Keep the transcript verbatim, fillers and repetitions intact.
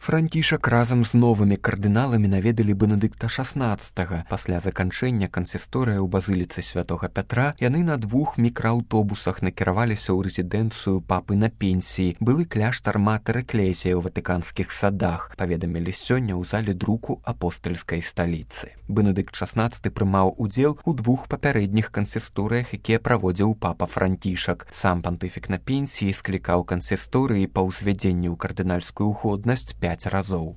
Францішак разам з новымі кардыналамі наведалі Бенедыкта шаснаццатага. Пасля заканчэння кансісторыя ў базыліцы святога Пятра яны на двух мікрааўтобусах накіраваліся ў рэзідэнцыю папы на пенсіі, былы кляштар Матэр Экклезія ў ватыканскіх садах, паведамілі сёння ў зале друку апостальскай сталіцы. Бенедыкт шаснаццаты прымаў удзел у двух папярэдніх кансісторыях, якія праводзіў папа Францішак. Сам пантыфік на пенсіі склікаў кансісторыі па ўзвядзенні ў кардынальскую годнасць пяць разоў.